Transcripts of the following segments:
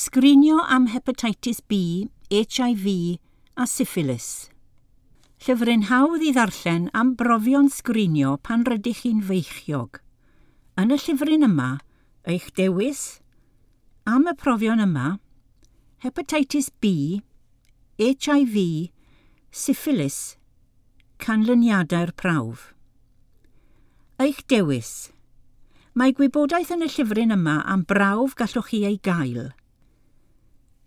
Sgrinio am hepatitis B, HIV a syphilis. Llyfryn hawdd i ddarllen am brofion sgrinio pan rydych chi'n feichiog. Yn y llyfryn yma, eich dewis am y profion yma, hepatitis B, HIV, syphilis, canlyniadau'r prawf. Eich dewis. Mae gwybodaeth yn y llyfryn yma am brawf gallwch chi ei gael.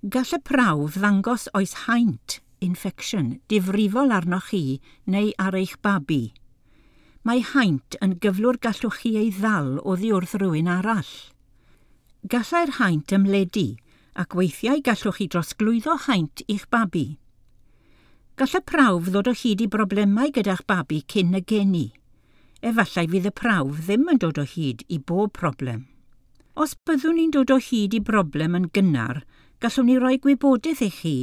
Gall y prawf ddangos oes haint, infection, difrifol arnoch chi neu ar eich babi. Mae haint yn gyflwr gallwch chi ei ddal oddi wrth rywun arall. Gallai'r haint ymledu ac weithiau gallwch chi drosglwyddo haint i'ch babi. Gall y prawf ddod o hyd i broblemau gyda'ch babi cyn y geni. Efallai fydd y prawf ddim yn dod o hyd i bob problem. Os byddwn ni'n dod o hyd i broblem yn gynnar, gallwn ni roi gwybodaeth i chi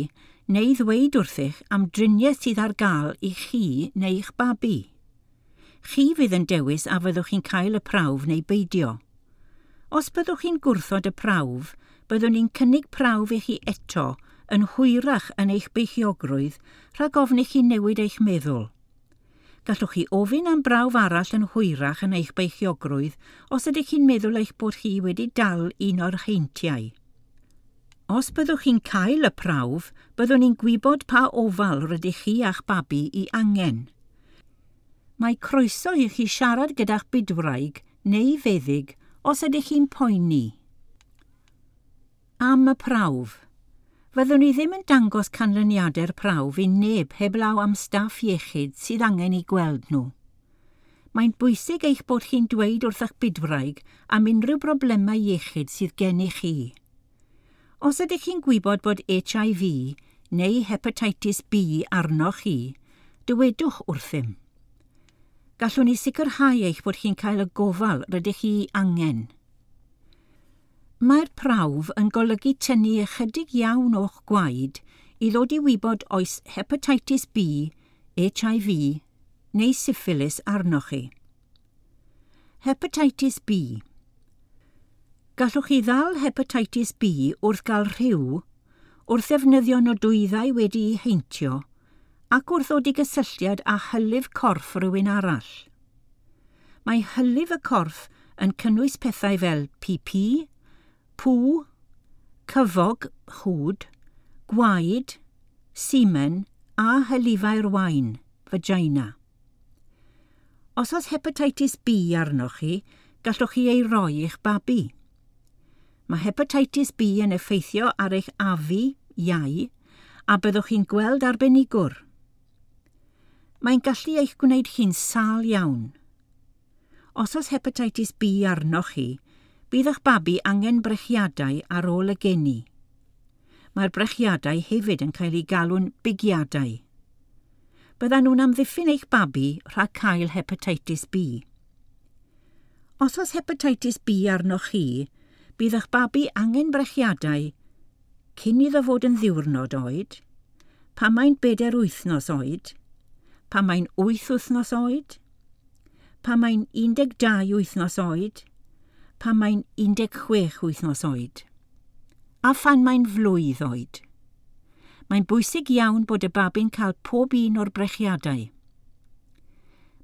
neu ddweud wrthych am driniaeth sydd ar gael i chi neu'ch babi. Chi fydd yn dewis a fyddwch chi'n cael y prawf neu beidio. Os byddwch chi'n gwrthod y prawf, byddwn ni'n cynnig prawf i chi eto yn hwyrach yn eich beichiogrwydd rhag ofn i chi newid eich meddwl. Gallwch chi ofyn am brawf arall yn hwyrach yn eich beichiogrwydd os ydych chi'n meddwl eich bod chi wedi dal un o'r heintiau. Os byddwch chi'n cael y prawf, byddwn ni'n gwybod pa ofal rydych chi a'ch babi i angen. Mae croeso i chi siarad gyda'ch bydwraig neu feddyg os ydych chi'n poeni. Am y prawf. Fyddwn ni ddim yn dangos canlyniadau'r prawf i neb heblaw am staff iechyd sydd angen eu gweld nhw. Mae'n bwysig eich bod chi'n dweud wrth eich bydwraig am unrhyw broblemau iechyd sydd gennych chi. Os ydych chi'n gwybod bod HIV neu hepatitis B arnoch chi, dywedwch wrthym. Gallwn ni sicrhau eich bod chi'n cael y gofal rydych chi angen. Mae'r prawf yn golygu tynnu ychydig iawn o'ch gwaed i ddod i wybod oes hepatitis B, HIV neu syphilis arnoch chi. Hepatitis B. Gallwch chi ddal hepatitis B wrth gael rhyw, wrth ddefnyddio nodwyddau wedi'u heintio, ac wrth ddod i gysylltiad â hylif corff rhywun arall. Mae hylif y corff yn cynnwys pethau fel PP, pŵ, cyfog, chwd, gwaed, semen a hylifau'r wain, vagina. Os oes hepatitis B arnoch chi, gallwch chi ei roi i'ch babi. Mae hepatitis B yn effeithio ar eich afu, iau, a byddwch chi'n gweld arbenigwr. Mae'n gallu eich gwneud chi'n sâl iawn. Os oes hepatitis B arnoch chi, bydd eich babi angen brechiadau ar ôl y geni. Mae'r brechiadau hefyd yn cael eu galw'n bigiadau. Byddan nhw'n amddiffyn eich babi rhag cael hepatitis B. Os oes hepatitis B arnoch chi, bydd eich babi angen brechiadau cyn iddo fod yn ddiwrnod oed, pan mae'n 4 wythnos oed, pan mae'n 8 wythnos oed, pan mae'n 12 wythnos oed, pan mae'n 16 wythnos oed, a phan mae'n flwydd oed. Mae'n bwysig iawn bod y babi'n cael pob un o'r brechiadau.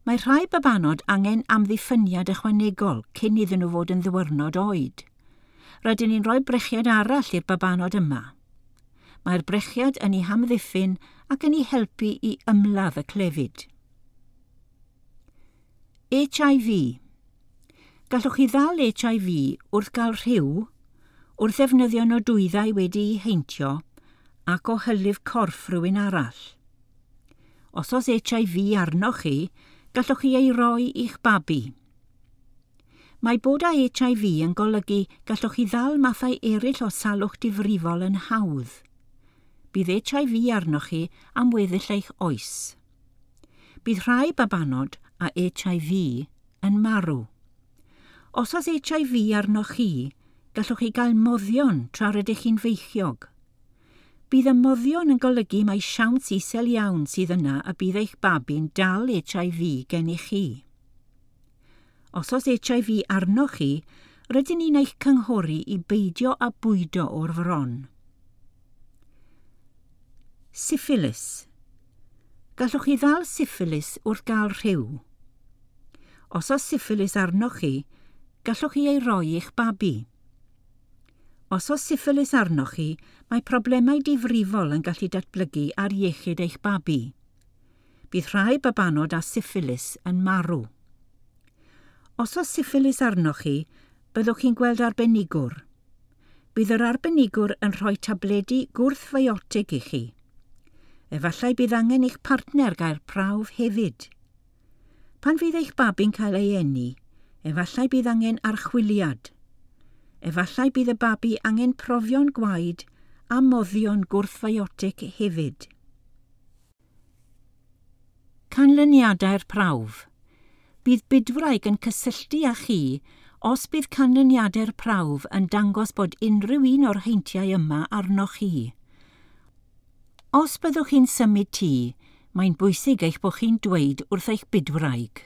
Mae rhai babanod angen amddiffyniad ychwanegol cyn iddyn nhw fod yn ddiwrnod oed. Rydyn ni'n rhoi brechiad arall i'r babanod yma. Mae'r brechiad yn eu hamddiffyn ac yn eu helpu i ymladd y clefyd. HIV. Gallwch chi ddal HIV wrth gael rhyw, wrth ddefnyddio nodwyddau wedi'u heintio ac o hylif corff rhywun arall. Os oes HIV arnoch chi, gallwch chi ei roi i'ch babi. Mae bod â HIV yn golygu gallwch chi ddal mathau eraill o salwch difrifol yn hawdd. Bydd HIV arnoch chi am weddill eich oes. Bydd rhai babanod â HIV yn marw. Os oes HIV arnoch chi, gallwch chi gael moddion tra rydych chi'n feichiog. Bydd y moddion yn golygu mai siawns isel iawn sydd yna y bydd eich babi'n dal HIV gennych chi. Os oes HIV arnoch chi, Rydyn ni'n eich cynghori i beidio â bwydo o'r fron. Syphilis. Gallwch chi ddal syphilis wrth gael rhyw. Os oes syphilis arnoch chi, gallwch chi ei roi i'ch babi. Os oes syphilis arnoch chi, mae problemau difrifol yn gallu datblygu ar iechyd eich babi. Bydd rhai babanod â syphilis yn marw. Os oes syphilis arnoch chi, byddwch chi'n gweld arbenigwr. Bydd yr arbenigwr yn rhoi tabledi gwrthfiotig i chi. Efallai bydd angen eich partner gael prawf hefyd. Pan fydd eich babi'n cael ei eni, efallai bydd angen archwiliad. Efallai bydd y babi angen profion gwaed a moddion gwrthfiotig hefyd. Canlyniadau'r prawf. Bydd bydwraig yn cysylltu â chi os bydd canlyniadau'r prawf yn dangos bod unrhyw un o'r heintiau yma arnoch chi. Os byddwch chi'n symud tŷ, mae'n bwysig eich bod chi'n dweud wrth eich bydwraig.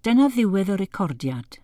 Dyna ddiwedd y recordiad.